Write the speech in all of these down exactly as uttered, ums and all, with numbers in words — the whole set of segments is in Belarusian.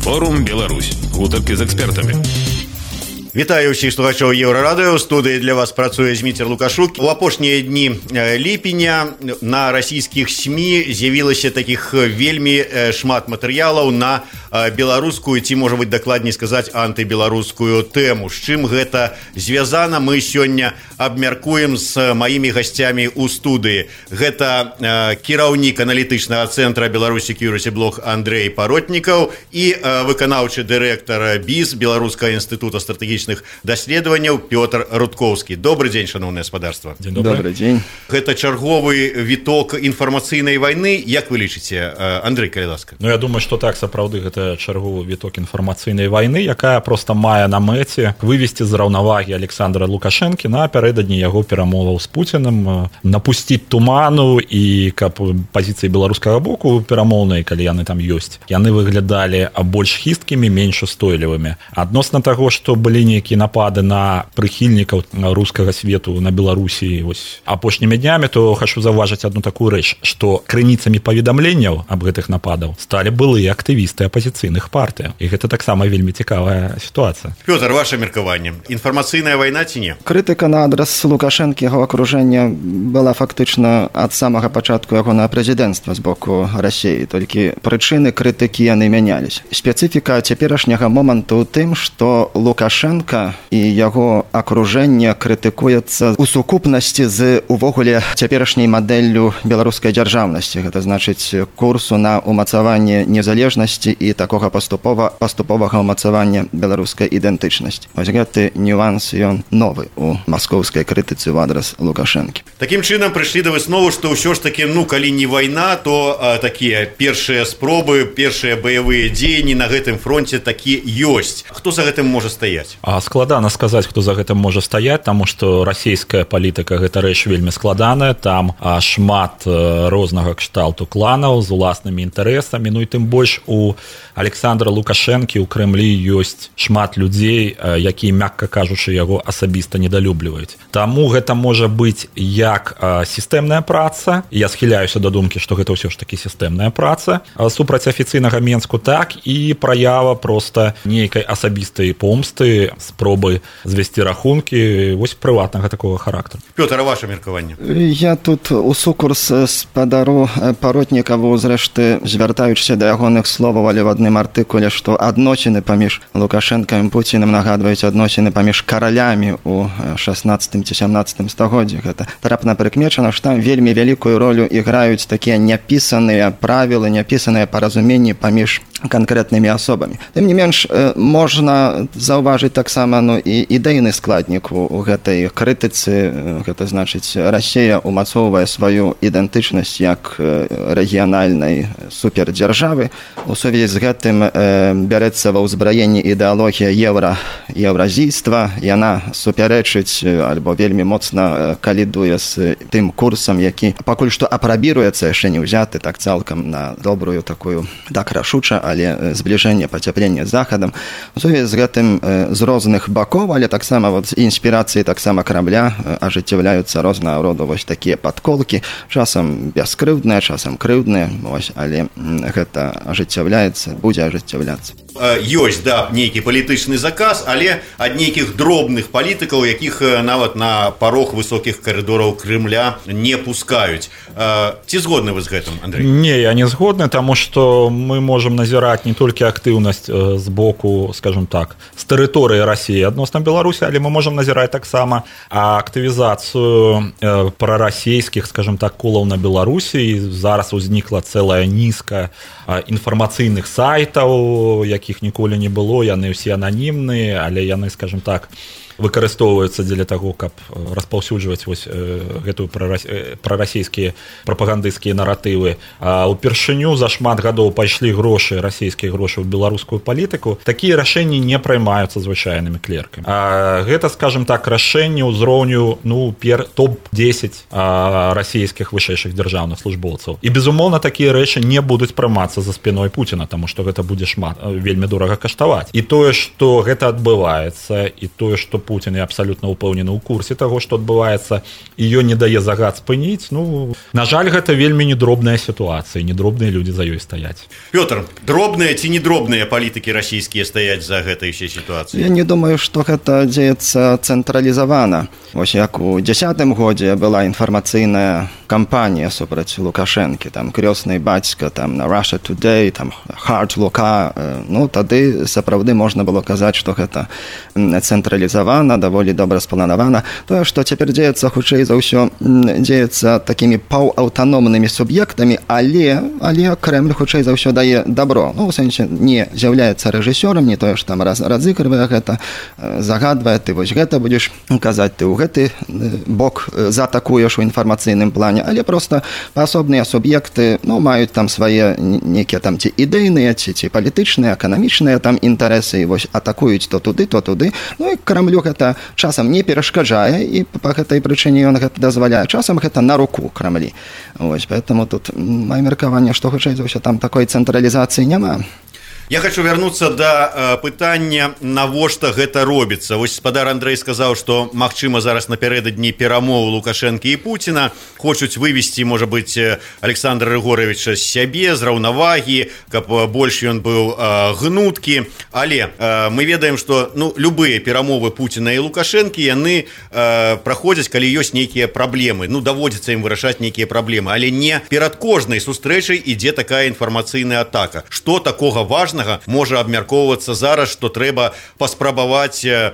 Форум Беларусь. Гутаркі з экспертамі. Вітаю ўсіх слухачоў Еўрарадыё. У студыі для вас працуе Зміцер Лукашук. У апошнія дні ліпеня на расійскіх СМІ з'явілася такіх вельмі шмат матэрыялаў на беларускую, ці, можа быць, дакладней сказаць, антыбеларускую тэму. З чым гэта звязана, мы сёння абмяркуем з маімі гасцямі ў студыі. Гэта кіраўнік аналітычнага цэнтра Беларусь Security Blog Андрей Паротнікаў і выканаўчы дырэктар БІЗ Беларускага інстытута стратэгічных даследаванняў Пётр Рудкоўскі. Добрый дзень, шановнае гаспадарства. Добрый дзень. Гэта чарговы віток інфармацыйнай вайны. Як вы лічыце, Андрей, калі ласка? Ну, я думаю, што так, сапраўды, гэта чарговы віток інфармацыйнай вайны, якая проста мае на мэце вывесці з раўнавагі Александра Лукашэнкі напярэдадні яго перамоваў з Пуцінам, напусціць туману, і каб пазіцыі беларускага боку перамоўнай, калі яны там ёсць, яны выглядалі больш хісткімі, менш устойлівымі. Адносна таго, што былі нейкія напады на прыхільнікаў рускага свету на Беларусі вось апошнімі днямі, то хачу заўважыць адну такую рэч, што крыніцамі паведамленняў аб гэтых нападаў сталі былыя актывісты апазіцыйных партый. І гэта таксама вельмі цікавая сітуацыя. Пётр, ваше меркаванне. Інфармацыйная вайна ці не? Крытыка на адрас Лукашэнкі, яго акружэння была фактычна ад самага пачатку яго на прэзідэнцтва з боку Расіі. Толькі прычыны крытыкі яны мянялись. Спецыфіка цяперашняга моманту ў тым, што Лукашенка і яго акружэнне крытыкуецца ў сукупнасці з увогуле цяперашняй мадэллю беларускай дзяржаўнасці. Гэта значыць курсу на умацаванне незалежнасці і такога паступова паступовага ўмацавання беларускай ідэнтычнасці. Вось гэты нюанс ён новы у маскоўскай крытыцы ў адрас Лукашэнкі. Такім чынам прыйшлі да высновы, што ўсё ж такі, ну, калі не вайна, то а, такія першыя спробы, першыя баявыя дзеянні на гэтым фронце такі ёсць. Хто за гэтым можа стаяць? А складана сказаць, хто за гэтым можа стаяць, таму што расійская палітыка гэта рэч вельмі складаная, там а, шмат а, рознага кшталту кланаў з уласнымі інтарэсамі, ну і тым больш у Александра Лукашэнкі ў Крэмлі ёсць шмат людзей, якія, мякка кажучы, яго асабіста недалюбліваюць. Таму гэта можа быць як сістэмная праца, я схіляюся да думкі, што гэта ўсё ж такі сістэмная праца супраць афіцыйнага Менску, так і праява проста нейкай асабістай помсты, спробы звесці рахункі вось прыватнага такога характару. Пётр, а ваше меркаванне? Я тут у сукурс спадару Паротнікаву, зрэшты, звяртаючыся да ягоных словаў, але в адным артыкуле, што адносіны паміж Лукашэнкам і Пуцінам нагадваюць адносіны паміж каралямі ў шаснаццатым ці сямнаццатым стагоддзі. Гэта трапна прыкмечана, што там вельмі вялікую ролю іграюць такія няпісаныя правілы, няпісаныя паразуменні паміж канкрэтнымі асобамі. Тым не менш, можна заўважыць таксама, ну, і ідэйны складнік у гэтай крытыцы. Гэта значыць, Расія умацоўвае сваю ідэнтычнасць як рэгіянальнай супердзяржавы. У сувязі з гэтым э, бярэцца ва ўзбраенні ідэалогія еўра, еўразійства. Яна супярэчыць альбо вельмі моцна калідуе з тым курсам, які пакуль што апрабіруецца, яшчэ не ўзяты так цалкам на добрую такую, так рашуча, але збліжэнне, пацяпленне з захадам. У сувязі з гэтым з розных бакоў, але таксама вот інспірацыі таксама Крамля ажыццяўляюцца рознага роду вось такія падколкі, часам бяскрыўдныя, часам крыўдныя, вось, але гэта ажыццяўляецца, будзе ажыццяўляцца. Ёсць, да, нейкі палітычны заказ, але ад нейкіх дробных палітыкаў, якіх нават на парог высокіх карыдораў Крымля не пускаюць. Ці згодны вы з гэтым, Андрей? Не, я не згодны, таму што мы можам назіраць не толькі актыўнасць з боку, скажем так, з тэрыторыі Расіі адносна Беларусі, але мы можам назіраць таксама актывізацыю прарасійскіх, скажем так, колаў на Беларусі. І зараз узнікла цэлая нізка інфармацыйных сайтаў, якіх ніколі не было, яны ўсе ананімныя, але яны, скажем так, выкарыстоўваюцца дзеля таго, каб распаўсюджваць вось гэтую прарасійскія прапагандысцкія наратывы. А ўпершыню за шмат гадоў пайшлі грошы, расійскія грошы ў беларускую палітыку. Такія рашэнні не праймаюцца звычайнымі клеркамі. А гэта, скажем так, рашэнні ўзроўню, ну, пер топ дзесяць расійскіх вышэйшых дзяржаўных службоўцаў. І безумоўна такія рэчы не будуць прымацца за спіной Пуціна, таму што гэта будзе шмат вельмі дорага каштаваць. І тое, што гэта адбываецца, і тое, што Путін і абсалютна ўпэўнены ў курсе таго, што адбываецца, і ён не дае загад спыніць. Ну, на жаль, гэта вельмі недробная сітуацыя, недробныя людзі за ёй стаяць. Пётр, дробныя ці недробныя палітыкі расійскія стаяць за гэтай ўсёй сітуацыі? Я не думаю, што гэта дзеецца цэнтралізавана. Вось як у дзесятым годзе была інфармацыйная кампанія супраць Лукашэнкі, там крёсны бацька, там на Russia Today, там Hard Лука. Ну, тады сапраўды можна было казаць, што гэта цэнтралізавана, даволі добра спланавана. Тое, што цяпер дзеецца, хутчэй за ўсё, дзеецца такімі паўаўтаномнымі суб'ектамі, але, але Крэмль хутчэй за ўсё дае добро. Ну, у сэнсе, не з'яўляецца рэжысёрам, не тое, што там раз, разыгрывае гэта, загадвае, ты вось гэта будзеш казаць, ты ў гэты бок заатакуеш у інфармацыйным плане, але проста паасобныя суб'екты, ну, маюць там свае некія там ці ідэйныя, ці, ці палітычныя, эканамічныя там інтарэсы, і вось атакуюць то туды, то туды. Ну, і Крамлю гэта часам не перашкаджае, і па гэтай прычыне ён гэта дазваляе. Часам гэта на руку Крамлі. Вось, поэтому тут мае меркаванне, што хутчэй за ўсё там такой цэнтралізацыі няма. Я хочу вярнуцца да э, пытання, навошта гэта робіцца. Вось спадар Андрэй сказаў, што магчыма зараз напярэдадні перамоў Лукашэнкі і Пуціна хочуць вывесці, можа быць, Александра Рыгоровича з сябе, з раўнавагі, каб больш ён быў э, гнуткі. Але э, мы ведаем, што ну, любыя перамовы Пуціна і Лукашэнкі яны э, праходзяць, калі ёсць нейкія праблемы. Ну, даводзіцца ім вырашаць нейкія праблемы, але не перад кожнай сустрэчай ідзе такая інфармацыйная атака. Што такога важна можа абмяркоўвацца зараз, што трэба паспрабаваць э,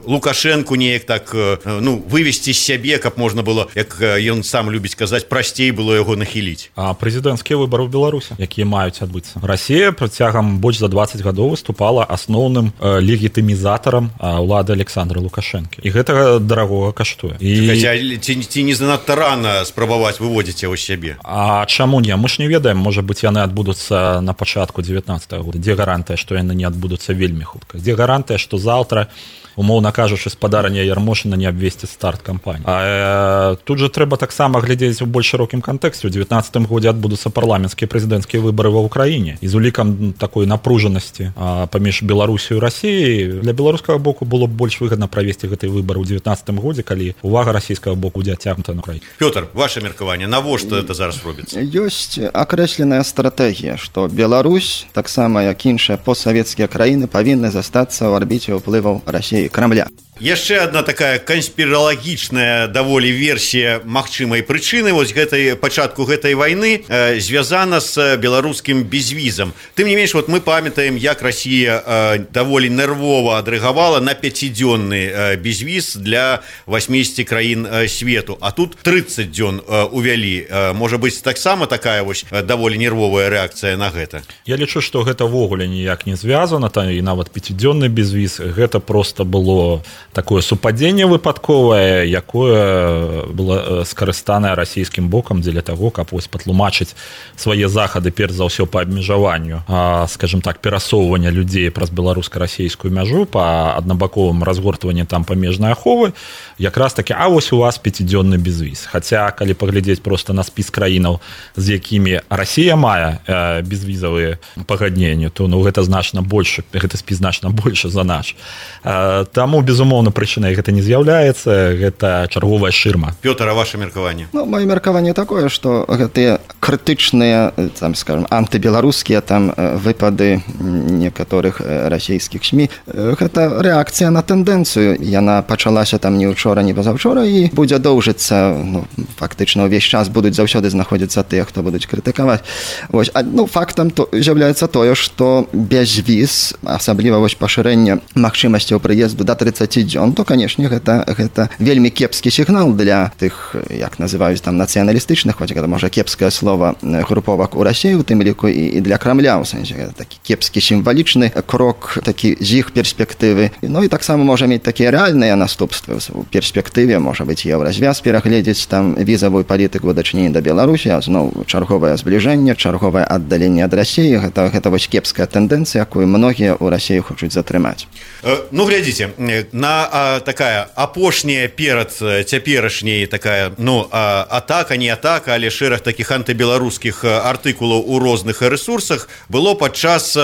Лукашэнку неяк так э, ну, вывесці з сябе, каб можна было, як ён сам любіць казаць, прасцей было яго нахіліць. А прэзідэнцкія выбары ў Беларусі, якія маюць адбыцца. Расія працягам больш за дваццаць гадоў выступала асноўным э, легітымізатарам э, улады Александра Лукашэнкі. І гэта дарагога каштуе. І... Хаця, ці, ці не занадта рана спрабаваць выводзіць яго з сябе? А чаму не? Мы ж не ведаем, можа быць, яны адбудуцца на пачатку дзевятнаццатага года. Дзе гарантыя, што яны не адбудуцца вельмі хутка? Дзе гарантыя, што заўтра, умоўна кажучы, спадарня Ярмошына не абвесціць старт кампаніі? А э, тут жа трэба таксама глядзець у больш шырокім кантэксце. У дзевятнаццатым годзе адбудуцца парламенцкія прэзідэнцкія выбары ва ўкраіне. І з улікам такой напружанасці а, паміж Беларусіяй і Расіяй для беларускага боку было б больш выгадна правесці гэтыя выбары ў дзевятнаццатым годзе, калі увага расійскага боку будзе адцягнута на краіну. Пётр, ваше меркаванне, навошта гэта зараз робіцца? Ёсць акрэсленая стратэгія, што Беларусь, таксама як іншыя постсавецкія краіны, павінны застацца ў арбіце ўплываў Расіі і Крамля. Яшчэ одна такая канспіралагічная даволі версія магчымай прычыны вось гэтай пачатку гэтай вайны э, звязана з беларускім безвізам. Тым не менш, вот мы памятаем, як Расія э, даволі нервова адрэагавала на пяцідзённы э, безвіз для васьмідзесяці краін э, свету, а тут трыццаць дзён э, увялі. Э, можа быць, таксама такая вось э, даволі нервовая рэакцыя на гэта. Я лічу, што гэта ввогуле ніяк не звязана, та і нават пяцідзённы безвіз, гэта просто было такое супадзенне выпадковае, якое было скарыстанае расійскім бокам дзеля таго, каб вось патлумачыць свае захады перш за ўсё па абмежаванню, а, скажем так, перасоўвання людзей праз беларуска-расійскую мяжу, па аднабаковым разгортванні там памежнай аховы, якраз такі, а вось у вас пяцідзённы безвіз. Хаця, калі паглядзець просто на спіс краінаў, з якімі Расія мае э, безвізавыя пагадненні, то ну, гэта значна больш, гэта спіс значна больш за наш. Э, таму, безумоўна, прычынай гэта не з'яўляецца, гэта чарговая шырма. Пётр, а ваше меркаванне? Ну, маё меркаванне такое, што гэтыя крытычныя, там, скажем, антыбеларускія там выпады некаторых расійскіх СМІ, гэта рэакцыя на тэндэнцыю. Яна пачалася там не ўчора, не пазаўчора і будзе доўжыцца, ну, фактычна ўвесь час будуць заўсёды знаходзіцца тыя, хто будуць крытыкаваць. Вось, а, ну, фактам то з'яўляецца тое, што безвіз, асабліва вось пашырэнне магчымасцяў прыезду да трыццаці дзён, то, канешне, гэта, гэта вельмі кепскі сігнал для тых, як называюць там, нацыяналістычных, хоць гэта можа кепскае слова, груповак у Расіі, у тым ліку і, і для Крамля, у сэнсе, гэта такі кепскі сімвалічны крок, такі з іх перспектывы. Ну і таксама можа мець такія рэальныя наступствы. У перспектыве, можа быць, еўразвяз перагледзець там візавую палітыку ў дачыненні да Беларусі, а зноў чарговае збліжэнне, чарговае аддаленне ад Расіі, гэта, гэта вось кепская тэндэнцыя, якую многія ў Расіі хочуць затрымаць. Э, ну, глядзіце, на яна а, такая апошняя перад цяперашняй такая, ну, а, атака, не атака, але шэраг такіх антыбеларускіх артыкулаў у розных ресурсах было падчас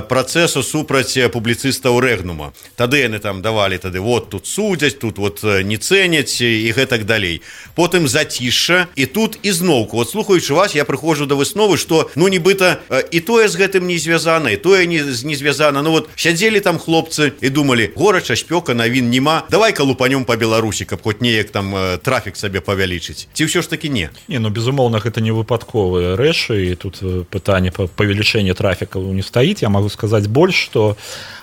працэсу супраць публіцыстаў Рэгнума. Тады яны там давалі тады вот тут судзяць, тут вот не цэняць і гэтак далей. Потым зацішша, і тут ізноўку, вот слухаючы вас, я прыходжу да высновы, што ну нібыта і тое з гэтым не звязана, і тое не, не звязана. Ну вот сядзелі там хлопцы і думалі, горача, спёка, навін няма, давай-ка лупанём па Беларусі, каб хоць неяк там трафік сабе павялічыць. Ці ўсё ж таки не? Не, ну безумоўна, гэта не выпадковыя рэчы, і тут пытанне па павелічэння трафіка не стаіць. Я магу сказаць больш, што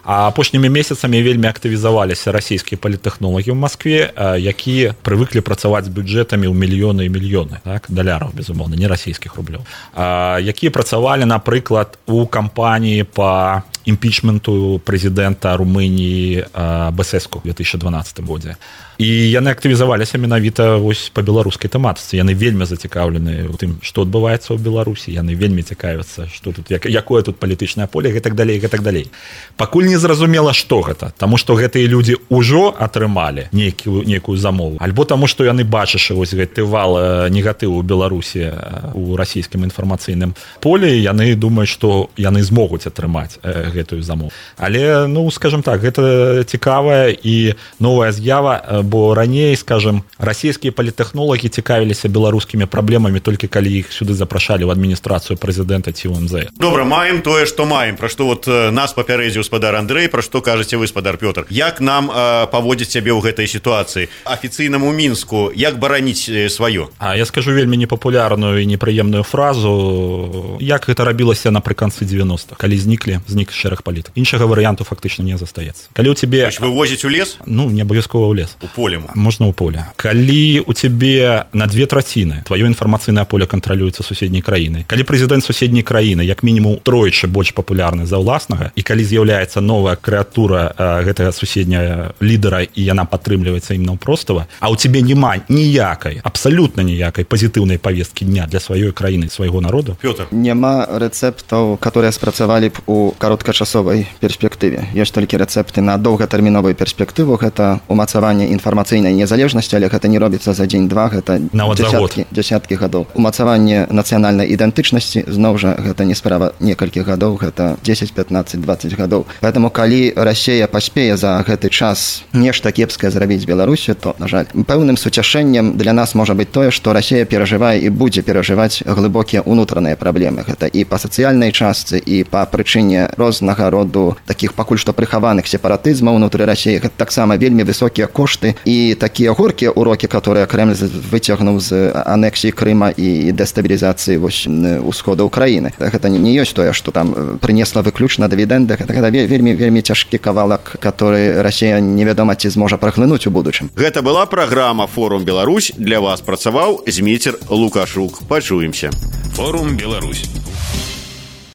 апошнімі месяцамі вельмі актывізаваліся расійскія палітэхнолагі ў Маскве, якія прывыклі працаваць з бюджэтамі ў мільёны і мільёны, так, даляраў, безумоўна, не расійскіх рублёў, якія працавалі, напрыклад, у кампаніі па імпічменту прэзідэнта Румыніі Басеску ў две тысячы дванаццатым годзе. І яны актывізаваліся менавіта вось па беларускай тэматыцы. Яны вельмі зацікаўлены ў тым, што адбываецца ў Беларусі. Яны вельмі цікавяцца, што тут, як, якое тут палітычнае поле, гэтак далей, гэтак далей. Пакуль не зразумела, што гэта, таму што гэтыя людзі ўжо атрымалі нейкую, нейкую замову, альбо таму, што яны бачыш вось гэты вал негатыву ў Беларусі у расійскім інфармацыйным полі, яны думаюць, што яны змогуць атрымаць гэтую замову. Але, ну, скажем так, гэта цікавая і новая з'ява, бо раней, скажем, расійскія палітэхнолагі цікавіліся беларускімі праблемамі толькі калі іх сюды запрашалі ў адміністрацыю прэзідэнта ці ў эм зэ. Добра, маем тое, што маем, пра што вот нас папярэдзіў спадар Андрэй, пра што кажаце вы, спадар Пётр. Як нам э, паводзіць сябе ў гэтай сітуацыі? Афіцыйнаму Мінску як бараніць сваё? А я скажу вельмі непапулярную і непрыемную фразу, як гэта рабілася напрыканцы дзевяностых, калі зніклі, знік шэраг палітык. Іншага варыянту фактычна не застаецца. Калі ў цябе вывозіць у лес? Ну, не абавязкова ў лес. У поле. Можна ў поле. Калі у цябе на две траціны тваё інфармацыйнае поле кантралюецца суседняй краінай, калі прэзідэнт суседняй краіны як мінімум тройчы больш папулярны за ўласнага, і калі з'яўляецца новая крэатура э, гэтага суседняя лідара і яна падтрымліваецца ім наўпростава, а ў цябе няма ніякай, абсалютна ніякай пазітыўнай павесткі дня для сваёй краіны, свайго народу. Пётр. Няма рэцэптаў, которые спрацавалі б у кароткачасовай перспектыве. Ёсць толькі рэцэпты на доўгатэрміновую перспектыву, гэта умацаванне інфармацыйнай незалежнасці, але гэта не робіцца за дзень-два, гэта дзесяткі, дзесяткі гадоў. Умацаванне нацыянальнай ідэнтычнасці, зноў жа, гэта не справа некалькіх гадоў, гэта дзесяць, пятнаццаць, дваццаць гадоў. Поэтому, калі Расія паспее за гэты час нешта кепскае зрабіць з Беларусю, то, на жаль, пэўным суцяшэннем для нас можа быць тое, што Расія перажывае і будзе перажываць глыбокія ўнутраныя праблемы. Гэта і па сацыяльнай частцы, і па прычыне рознага роду такіх пакуль што прыхаваных сепаратызмаў унутры Расіі. Гэта таксама вельмі высокія кошты і такія горкія урокі, которые Кремль выцягнуў з анексіі Крыма і дэстабілізацыі вось усходу Украіны. Гэта не ёсць тое, што там прынесла выключна дывідэнды. Гэта вельмі вельмі цяжкі кавалак, который Расія невядома ці зможа праглынуць у будучым. Гэта была праграма Форум Беларусь. Для вас працаваў Зміцер Лукашук. Пачуемся. Форум Беларусь.